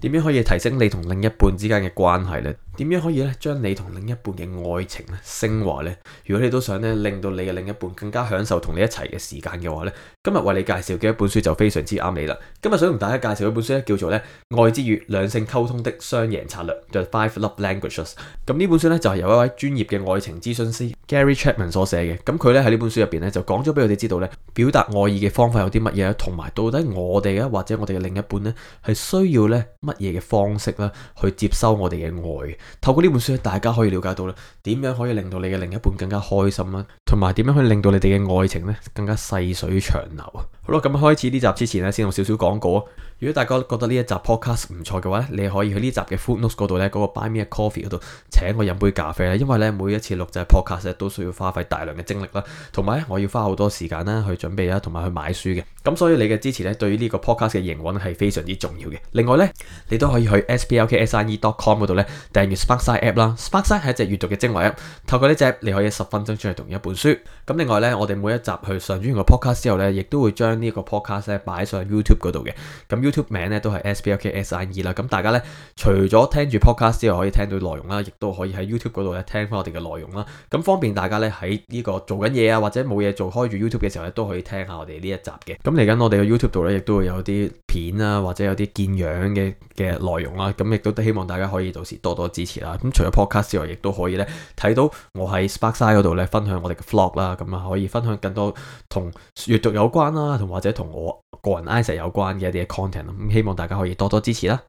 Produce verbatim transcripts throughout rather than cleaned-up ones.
點樣可以提升你同另一半之間嘅關係呢？點樣可以咧將你同另一半嘅愛情咧升華呢？如果你都想咧令到你嘅另一半更加享受同你一齊嘅時間嘅話咧，今日為你介紹嘅一本書就非常之啱你啦。今日想同大家介紹一本書咧，叫做咧《愛之語：兩性溝通的雙贏策略》The Five Love Languages。咁呢本書咧就係由一位專業嘅愛情諮詢師 Gary Chapman 所寫嘅。咁佢咧喺呢本書入邊咧就講咗俾我哋知道咧，表達愛意嘅方法有啲乜嘢，同埋到底我哋啊或者我哋嘅另一半咧係需要咧乜嘢嘅方式啦去接收我哋嘅愛。透過呢本書咧，大家可以了解到咧點樣可以令到你嘅另一半更加開心啦，同埋點樣可以令到你哋嘅愛情咧更加細水長流啊！好啦，咁開始呢集之前咧，先用少少廣告啊！如果大家覺得呢一集 podcast 唔錯嘅話咧，你可以去呢集嘅 footnotes 嗰度咧，嗰個 Buy Me a Coffee 嗰度請我飲杯咖啡啦。因為咧每一次錄製 podcast 咧都需要花費大量嘅精力啦，同埋咧我要花好多時間啦去準備啦，同埋去買書嘅。咁所以你嘅支持咧對於呢個 podcast 嘅營運係非常之重要嘅。另外咧，你都可以去 s p l k s i e dot com 嗰度咧訂閱 Sparkside app 啦。Sparkside 係一隻閱讀嘅精華 app， 透過呢隻 app 你可以十分鐘出嚟讀一本書。咁另外咧，我哋每一集去上咗完個 podcast 之後咧，亦都會將呢個 podcast 咧擺上 YouTube 嗰度嘅。咁 YouTube 名咧都係 S P L K S I E 啦。咁大家咧除咗聽住 podcast 之外，可以聽到內容啦，亦都可以喺 YouTube 嗰度咧聽翻我哋嘅內容啦。咁方便大家咧喺呢個做緊嘢啊，或者冇嘢做開住 YouTube 嘅時候咧，都可以聽下我哋呢一集嘅。咁嚟緊我哋嘅 YouTube 度咧，亦都會有啲片啊，或者有啲見樣嘅嘅內容啦。咁亦都希望大家可以到時多多支持啦。咁除咗 podcast 之外，亦都可以咧睇到我喺 Sparkside 嗰度咧分享我哋嘅 vlog 啦。咁啊可以分享更多同閱讀有關啦，同或者同我個人 Isaac 有關嘅一啲嘅 content。咁希望大家可以多多支持啦。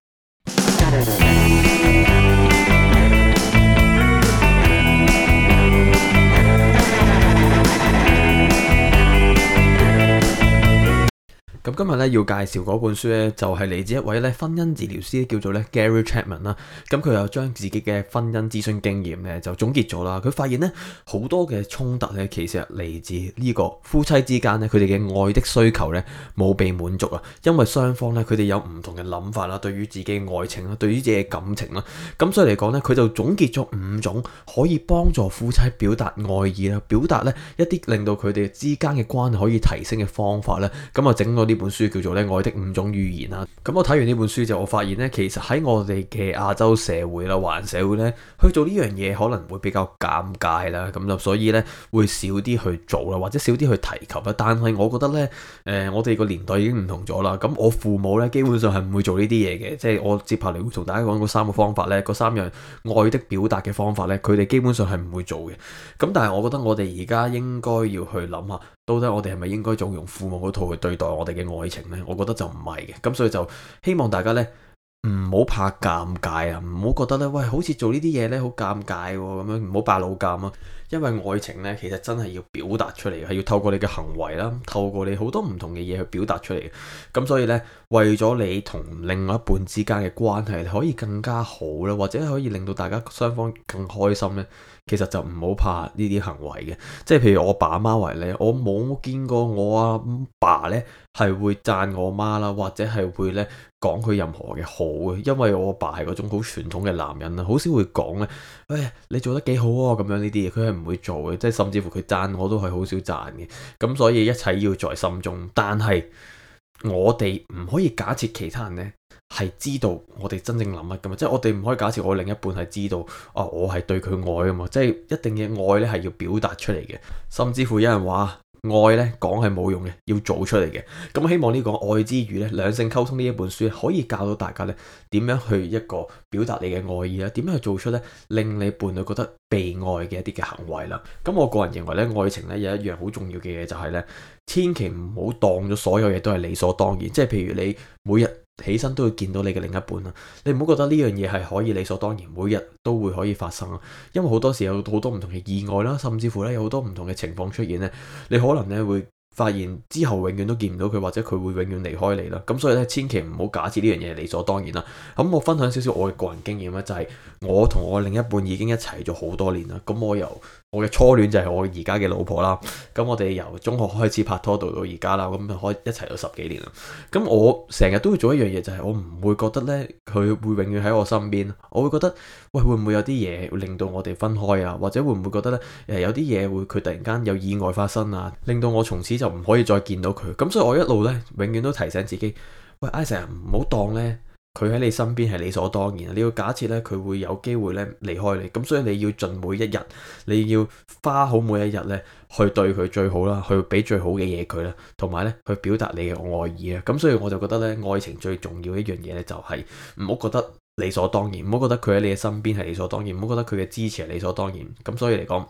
咁今日咧要介紹嗰本書咧，就係嚟自一位咧婚姻治療師，叫做咧 Gary Chapman 啦。咁佢又將自己嘅婚姻諮詢經驗咧就總結咗啦。佢發現咧好多嘅衝突咧，其實嚟自呢個夫妻之間咧，佢哋嘅愛的需求咧冇被滿足啊。因為雙方咧佢哋有唔同嘅諗法啦，對於自己嘅愛情啦，對於自己嘅感情啦。咁所以嚟講咧，佢就總結咗五種可以幫助夫妻表達愛意啦，表達咧一啲令到佢哋之間嘅關係可以提升嘅方法咧。咁啊整咗呢本書叫做咧愛的五種語言啦。咁我睇完呢本書就我發現咧，其實喺我哋嘅亞洲社會啦、華人社會咧，去做呢樣嘢可能會比較尷尬啦。咁就所以咧會少啲去做啦，或者少啲去提及啦。但係我覺得咧，誒、呃、我哋個年代已經唔同咗啦。咁我父母咧基本上係唔會做呢啲嘢嘅，即係我接下嚟會同大家講嗰三個方法咧，嗰三樣愛的表達嘅方法咧，佢哋基本上係唔會做嘅。咁但係我覺得我哋而家應該要去諗下，到底我哋係咪應該仲用父母嗰套去對待我哋嘅愛情呢？我覺得就唔係嘅。咁所以就希望大家呢唔好怕尷尬啊，唔好覺得呢喂好似做呢啲嘢呢好尷尬喎，咁樣唔好扮老尷啊。因為愛情呢其實真係要表達出嚟，係要透過你嘅行為啦，透過你好多唔同嘅嘢去表達出嚟嘅。咁所以呢，為咗你同另外一半之間嘅關係可以更加好啦，或者可以令到大家雙方更開心呢，其實就唔好怕呢啲行為嘅。即係譬如我爸阿媽為例，我冇見過我阿爸呢係會讚我媽啦，或者係會呢講佢任何嘅好嘅。因為我阿爸係嗰種好傳統嘅男人啦，好少會講呢：「喂，你做得幾好啊」咁樣呢啲嘢，佢係唔會做嘅。即係甚至乎佢讚我都係好少讚嘅。咁所以一切要在心中。但係我哋唔可以假設其他人呢係知道我哋真正諗乜噶嘛，即係我哋唔可以假設我另一半係知道啊，我係對佢愛噶嘛，即係一定嘅愛咧係要表達出嚟嘅。甚至乎有人話愛咧講係冇用嘅，要做出嚟嘅。咁希望呢個愛之語咧，兩性溝通呢一本書可以教到大家咧點樣去一個表達你嘅愛意啦，點樣去做出咧令你伴侶覺得被愛嘅一啲嘅行為啦。咁我個人認為咧，愛情咧有一樣好重要嘅嘢就係咧，千祈唔好當咗所有嘢都係理所當然。即係譬如你每日起身都會見到你嘅另一半啦，你唔好覺得呢樣嘢係可以理所當然，每日都會可以發生啊。因為好多時有好多唔同嘅意外啦，甚至乎咧有好多唔同嘅情況出現咧，你可能咧會發現之後永遠都見唔到佢，或者佢會永遠離開你啦。咁所以咧，千祈唔好假設呢樣嘢理所當然啦。咁我分享少少我嘅個人經驗咧，就係我同我另一半已經一齊咗好多年啦。咁我由我嘅初戀就係我而家嘅老婆啦。咁我哋由中學開始拍拖到到而家啦，咁就可以一齊咗十幾年啦。咁我成日都會做一樣嘢，就係我唔會覺得咧佢會永遠喺我身邊。我會覺得喂，會唔會有啲嘢會令到我哋分開啊？或者會唔會覺得咧誒有啲嘢會佢突然間有意外發生啊，令到我從此就唔可以再見到佢。咁所以我一路咧永遠都提醒自己，喂，Isaac唔好當咧佢喺你身邊係理所當然，你要假設咧佢會有機會咧離開你，咁所以你要盡每一日，你要花好每一日咧去對佢最好啦，去俾最好嘅嘢佢啦，同埋咧去表達你嘅愛意啊。咁所以我就覺得咧，愛情最重要一樣嘢咧就係唔好覺得理所當然，唔好覺得佢喺你嘅身邊係理所當然，唔好覺得佢嘅支持係理所當然。咁所以嚟講，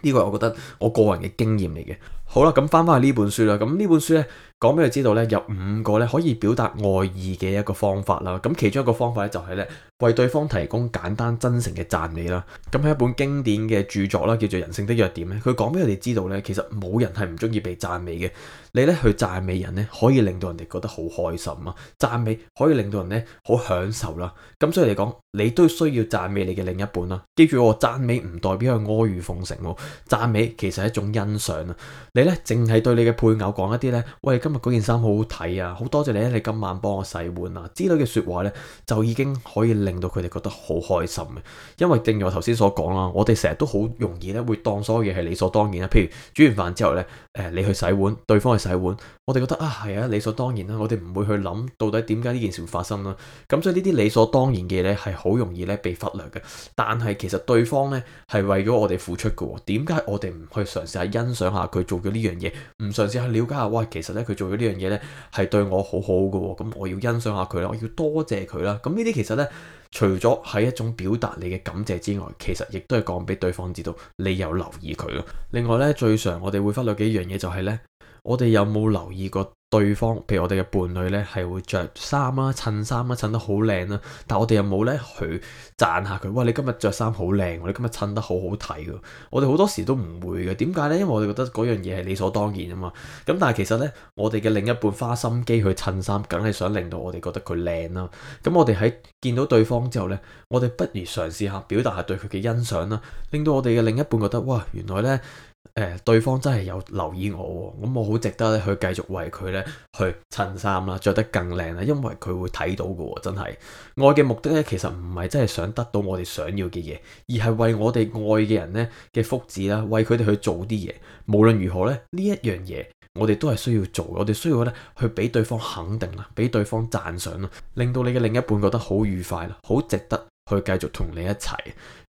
呢個係我覺得我個人嘅經驗嚟嘅。好啦，咁翻翻去呢本書啦。咁呢本書咧講俾你知道咧，有五個咧可以表達愛意嘅一個方法啦。咁其中一個方法咧就係咧為對方提供簡單真誠嘅讚美啦。咁係一本經典嘅著作啦，叫做《人性的弱點》咧。佢講俾我哋知道咧，其實冇人係唔中意被讚美嘅。你咧去讚美人咧，可以令到人哋覺得好開心啊！讚美可以令到人咧好享受啦。咁所以嚟講，你都需要讚美你嘅另一半啦。記住我讚美唔代表係阿諛奉承喎，讚美其實係一種欣賞啊。你咧淨係對你嘅配偶講一啲咧，喂，今日嗰件衫好好睇啊，好多謝你咧，你今晚幫我洗碗啊之類嘅説話咧，就已經可以令到佢哋覺得好開心嘅。因為正如我頭先所講啦，我哋成日都好容易咧會當所有嘢係理所當然啦。譬如煮完飯之後咧，誒你去洗碗，對方去洗碗，我哋覺得啊係啊理所當然啦，我哋唔會去諗到底點解呢件事會發生啦。咁所以呢啲理所當然嘅嘢咧係好容易咧被忽略嘅。但係其實對方咧係為咗我哋付出嘅喎，點解我哋唔去嘗試下欣賞下佢做嘅呢樣嘢，唔嘗試去了解下，哇其實咧佢做咗呢樣嘢咧係對我好好嘅喎，咁我要欣賞下佢啦，我要多謝佢啦。咁呢啲其實咧除咗係一種表達你嘅感謝之外，其實亦都係講俾對方知道你有留意佢咯。另外咧最常我哋會忽略嘅一樣嘢就係咧，我哋有冇留意過對方，譬如我哋嘅伴侶咧係會着衫啦、襯衫啦、襯得好靚啦，但係我哋有冇咧去讚下佢？哇！你今日着衫好靚，你今日襯得好好睇㗎。我哋好多時都唔會嘅，點解咧？因為我哋覺得嗰樣嘢係理所當然啊嘛。咁但係其實咧，我哋嘅另一半花心機去襯衫，梗係想令到我哋覺得佢靚啦。咁我哋喺見到對方之後咧，我哋不如嘗試下表達下對佢嘅欣賞啦，令到我哋嘅另一半覺得哇，原來咧〜誒、呃，對方真係有留意我，咁我好值得咧去繼續為佢咧去襯衫啦，着得更靚啦，因為佢會睇到嘅，真係愛嘅目的咧，其實唔係真係想得到我哋想要嘅嘢，而係為我哋愛嘅人咧嘅福祉啦，為佢哋去做啲嘢。無論如何咧，呢一樣嘢我哋都係需要做，我哋需要咧去俾對方肯定啦，俾對方讚賞啦，令到你嘅另一半覺得好愉快啦，好值得去繼續同你一齊。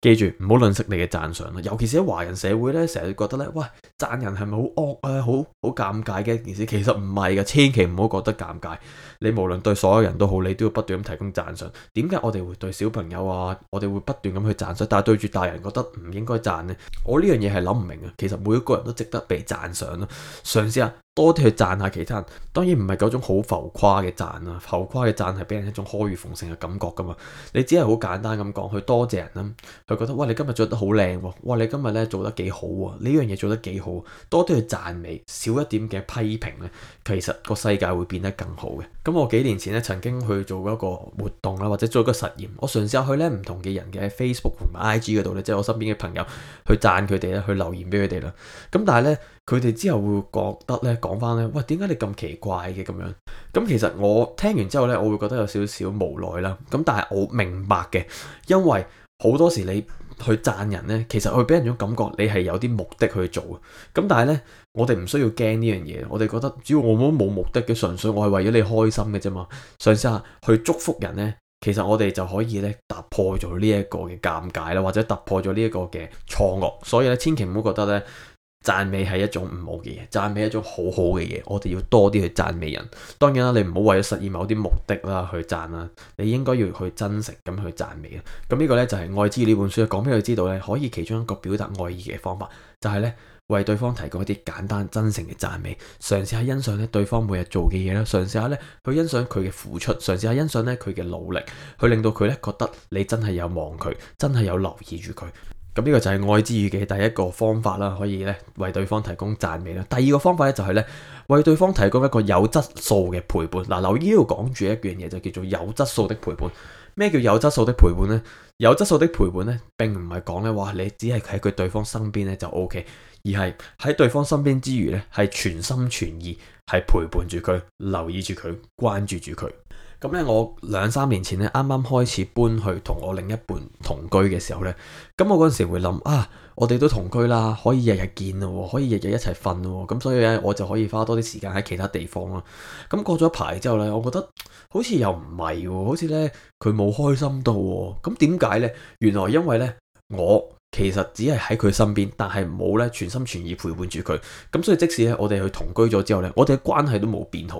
記住唔好吝嗇你嘅讚賞啦，尤其是喺華人社會咧，成日覺得咧，喂，讚人係咪好惡啊，好好尷尬嘅一件事？其實唔係嘅，千祈唔好覺得尷尬。你無論對所有人都好，你都要不斷咁提供讚賞。點解我哋會對小朋友啊，我哋會不斷咁去讚賞，但係對住大人覺得唔應該讚呢？我呢樣嘢係諗唔明啊。其實每一個人都值得被讚賞咯，嘗試下多啲去讚下其他人。當然唔係嗰種好浮誇嘅讚啊，浮誇嘅讚係俾人一種阿諛奉承嘅感覺噶嘛。你只係好簡單咁講，去多謝人啦。佢覺得哇，你今日着得好靚喎，哇，你今日咧做得幾好喎，呢樣嘢做得幾好，多啲去讚美，少一點嘅批評咧，其實個世界會變得更好嘅。咁我幾年前咧曾經去做一個活動啦，或者做一個實驗，我嘗試下去咧唔同嘅人嘅 Facebook 同埋 I G 嗰度咧，即係我身邊嘅朋友去讚佢哋咧，去留言俾佢哋啦。咁但係咧，佢哋之後會覺得咧，講翻咧，喂，點解你咁奇怪嘅咁樣？咁其實我聽完之後咧，我會覺得有少少無奈啦。咁但係我明白嘅，因為好多時你去讚人呢，其實會俾人種感覺你係有啲目的去做。咁但係呢，我哋唔需要驚呢樣嘢。我哋覺得只要我冇冇目的嘅，純粹我係為咗你開心嘅啫嘛。嘗試下去祝福人呢，其實我哋就可以咧突破咗呢一個嘅尷尬啦，或者突破咗呢一個嘅錯愕。所以咧，千祈唔好覺得呢，讚美係一種唔好嘅嘢，讚美係一種好好嘅嘢，我哋要多啲去讚美人。當然啦，你唔好為咗實現某啲目的啦去讚啦，你應該要去真誠咁去讚美啦。咁呢個呢，就係愛之語呢本書講俾佢知道呢，可以其中一個表達愛意嘅方法，就係呢：為對方提供一啲簡單真誠嘅讚美，嘗試下欣賞咧對方每日做嘅嘢啦，嘗試下咧去欣賞佢嘅付出，嘗試下欣賞咧佢嘅努力，去令到佢咧覺得你真係有望佢，真係有留意住佢。咁呢個就係愛之語嘅第一個方法啦，可以咧為對方提供讚美啦。第二個方法咧就係咧為對方提供一個有質素嘅陪伴。嗱，留意呢度講住一樣嘢就叫做有質素的陪伴。咩叫有質素的陪伴呢？有質素的陪伴咧並唔係講咧話你只係喺佢對方身邊咧就 O K，而係喺對方身邊之餘咧係全心全意係陪伴住佢、留意住佢、關注住佢。咁咧，我兩三年前咧，啱啱開始搬去同我另一半同居嘅時候咧，咁我嗰陣時會諗啊，我哋都同居啦，可以日日見咯，可以日日一齊瞓咯，咁所以咧，我就可以花多啲時間喺其他地方咯。咁過咗一排之後咧，我覺得好似又唔係喎，好似咧佢冇開心到喎。咁點解咧？原來因為咧，我其實只係喺佢身邊，但係冇咧全心全意陪伴住佢。咁所以即使咧我哋去同居咗之後咧，我哋嘅關係都冇變好，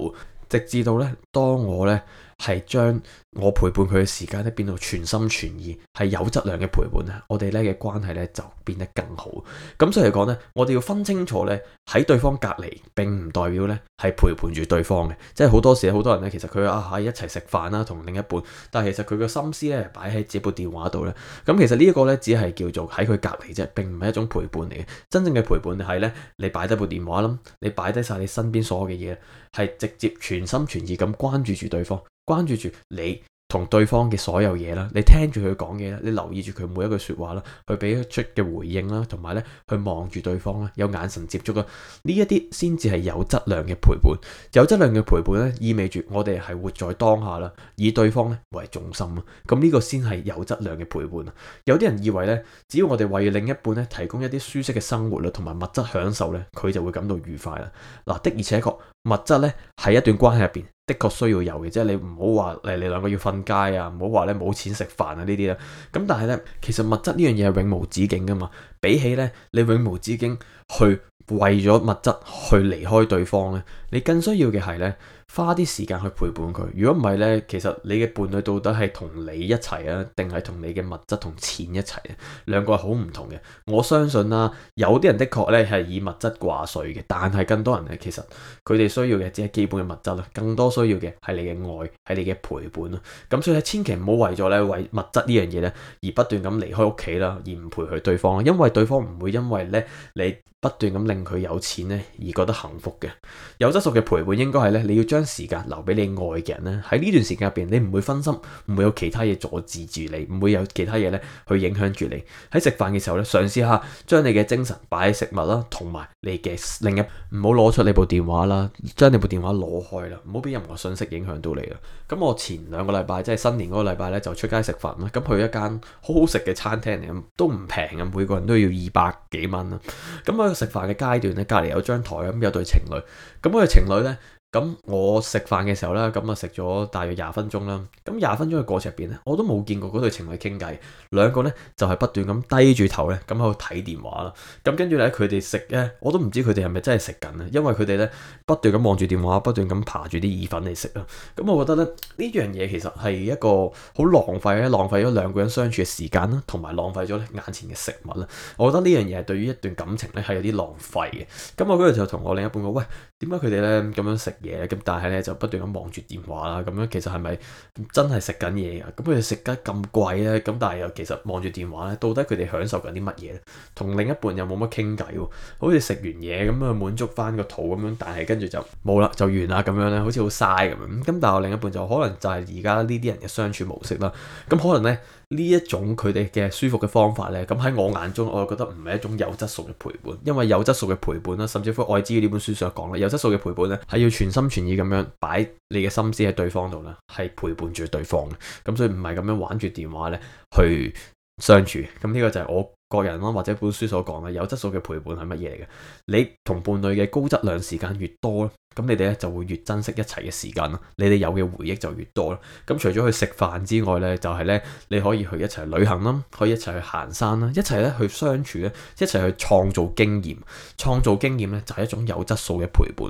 直至到咧當我咧係將我陪伴佢嘅時間咧變到全心全意，係有質量嘅陪伴咧，我哋咧嘅關係咧就變得更好。咁所以嚟講咧，我哋要分清楚咧，喺對方隔離並唔代表咧係陪伴住對方嘅。即係好多時好多人咧，其實佢啊喺一齊食飯啦，同另一半，但係其實佢個心思咧擺喺自己部電話度咧。咁其實呢一個咧只係叫做喺佢隔離啫，並唔係一種陪伴嚟嘅。真正嘅陪伴係咧，你擺低部電話啦，你擺低晒你身邊所有嘅嘢，係直接全心全意咁關注住對方。關注住你同對方嘅所有嘢啦，你聽住佢講嘢啦，你留意住佢每一句說話啦，去俾出嘅回應啦，同埋咧去望住對方啦，有眼神接觸啦，呢一啲先至係有質量嘅陪伴。有質量嘅陪伴咧，意味住我哋係活在當下啦，以對方咧為重心啊。咁呢個先係有質量嘅陪伴啊。有啲人以為咧，只要我哋為另一半咧提供一啲舒適嘅生活啦，同埋物質享受咧，佢就會感到愉快啦。嗱，的而且確，物質咧喺一段關係入邊的確需要有嘅，即係你唔好話誒你兩個要瞓街啊，唔好話咧冇錢食飯啊呢啲啦。咁但係咧，其實物質呢樣嘢係永無止境噶嘛。比起咧你永無止境去為咗物質去離開對方咧，你更需要嘅係咧花啲時間去陪伴佢。如果唔係咧，其實你嘅伴侶到底係同你一齊啊，定係同你嘅物質同錢一齊啊？兩個係好唔同嘅。我相信啦，有啲人的確咧係以物質掛帥嘅，但係更多人咧其實佢哋需要嘅只係基本嘅物質啦，更多需要嘅係你嘅愛，係你嘅陪伴咯。咁所以千祈唔好為咗咧為物質呢樣嘢咧而不斷咁離開屋企啦，而唔陪佢對方，因為對方唔會因為咧你不斷咁令佢有錢咧而覺得幸福嘅。有質素嘅陪伴應該係咧，你要將時間留俾你愛嘅人咧，喺呢段時間入邊你唔會分心，唔會有其他嘢阻止住你，唔會有其他嘢咧去影響住你。喺食飯嘅時候咧，嘗試下將你嘅精神擺喺食物啦，同埋你嘅另一唔好攞出你部電話啦，將你部電話攞開啦，唔好俾任何信息影響到你啦。咁我前兩個禮拜即係新年嗰個禮拜咧就出街食飯啦，咁去一間好好食嘅餐廳嚟，咁都唔平嘅，每個人都要二百幾蚊啦。咁喺食飯嘅階段咧，隔離有張台咁有對情侶，咁嗰對情侶咧。咁我食飯嘅時候咧，咁啊食咗大約廿分鐘啦。咁廿分鐘嘅過程入邊咧，我都冇見過嗰對情侶傾偈，兩個咧就係不斷咁低住頭咧，咁喺度睇電話啦。咁跟住咧，佢哋食咧，我都唔知佢哋係咪真係食緊啊，因為佢哋咧不斷咁望住電話，不斷咁爬住啲意粉嚟食啊。咁我覺得咧呢樣嘢其實係一個好浪費咧，浪費咗兩個人相處嘅時間啦，同埋浪費咗眼前嘅食物啦。我覺得呢樣嘢係對於一段感情咧係有啲浪費嘅。咁我嗰日就同我另一半講，喂，點解佢哋咧咁樣食嘢咁，但係咧就不斷咁望住電話啦，咁樣其實係咪真係食緊嘢噶？咁佢哋食得咁貴咧，咁但係又其實望住電話咧，到底佢哋享受緊啲乜嘢咧？同另一半又冇乜傾偈喎，好似食完嘢咁啊滿足翻個肚咁樣，但係跟住就冇啦，就完啦咁樣咧，好似好嘥咁樣。咁但係我另一半就可能就係而家呢啲人嘅相處模式啦。咁可能咧呢一種佢哋嘅舒服嘅方法咧，咁喺我眼中，我就覺得唔係一種有質素嘅陪伴，因為有質素嘅陪伴啦，甚至乎《愛之語》呢本書所講啦，有質素嘅陪伴咧係要全心全意咁樣擺你嘅心思喺對方度啦，係陪伴住對方嘅。咁所以唔係咁樣玩住電話咧去相處。咁呢個就係我個人啦，或者本書所講嘅有質素嘅陪伴係乜嘢嚟嘅？你同伴侶嘅高質量時間越多咧，咁你哋咧就會越珍惜一齊嘅時間啦，你哋有嘅回憶就越多啦。咁除咗去食飯之外咧，就係咧你可以去一齊旅行啦，可以一齊去行山啦，一齊咧去相處咧，一齊去創造經驗。創造經驗咧就係一種有質素嘅陪伴。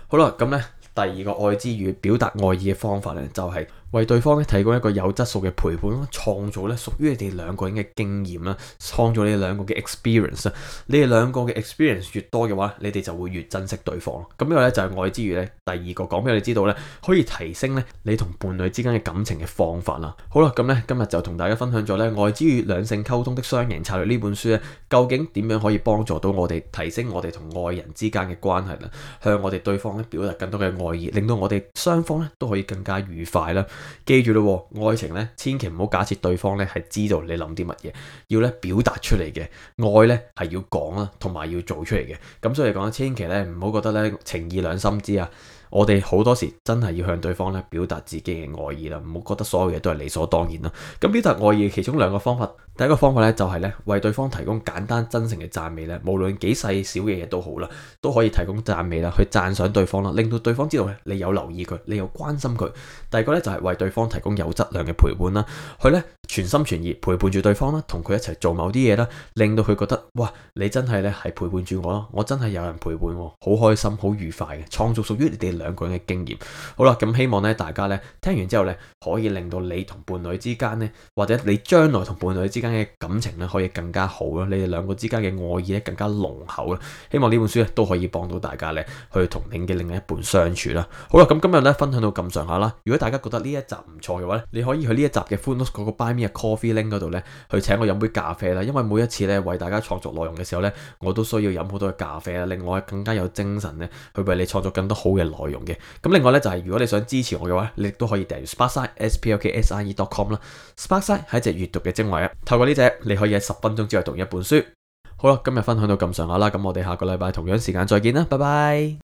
好啦，咁咧第二個愛之語表達愛意嘅方法咧，就係為對方咧提供一個有質素嘅陪伴啦，創造咧屬於你哋兩個人嘅經驗啦，創造你哋兩個嘅 experience 啦。你哋兩個嘅 experience 越多嘅話，你哋就會越珍惜對方。咁呢個咧就係愛之語咧第二個講俾你知道咧，可以提升咧你同伴侶之間嘅感情嘅方法啦。好啦，咁咧今日就同大家分享咗咧愛之語兩性溝通的雙贏策略呢本書咧，究竟點樣可以幫助到我哋提升我哋同愛人之間嘅關係啦，向我哋對方咧表達更多嘅愛意，令到我哋雙方咧都可以更加愉快啦。記住咯，愛情咧千祈唔好假設對方咧係知道你諗啲乜嘢，要咧表達出嚟嘅愛咧係要講啦，同埋要做出嚟嘅。咁所以講，千祈咧唔好覺得咧情義兩心知啊！我哋好多時真係要向對方咧表達自己嘅愛意啦，唔好覺得所有嘢都係理所當然啦。咁表達愛意其中兩個方法，第一個方法咧就係咧為對方提供簡單真誠嘅讚美咧，無論幾細小嘅嘢都好啦，都可以提供讚美啦，去讚賞對方啦，令到對方知道咧你有留意佢，你有關心佢。第二個咧就係為對方提供有質量嘅陪伴啦，佢咧全心全意陪伴住對方啦，同佢一齊做某啲嘢啦，令到佢覺得哇，你真係咧係陪伴住我咯，我真係有人陪伴我，好開心，好愉快嘅，創造屬於你哋兩個人嘅經驗。好啦，咁希望咧大家咧聽完之後咧，可以令到你同伴侶之間咧，或者你將來同伴侶之間嘅感情咧，可以更加好啦，你哋兩個之間嘅愛意咧更加濃厚啦。希望呢本書咧都可以幫到大家咧，去同你嘅另一半相處啦。好啦，咁今日咧分享到咁上下啦。如果大家覺得呢一集唔錯嘅話咧，你可以去呢一集嘅 Footnotes 嗰個 Buy Me a Coffee link 嗰度咧，去請我飲杯咖啡啦。因為每一次咧為大家創作內容嘅時候咧，我都需要飲好多嘅咖啡啦，令我更加有精神咧去為你創作更多好嘅內容嘅。咁另外咧就係、是、如果你想支持我嘅話，你亦都可以訂閱 Sparkside s p l k s i e dot com 啦。Sparkside 係一隻閱讀嘅精華啊，透過呢隻你可以喺十分鐘之內讀一本書。好啦，今日分享到咁上下啦，咁我哋下個禮拜同樣時間再見啦，拜拜。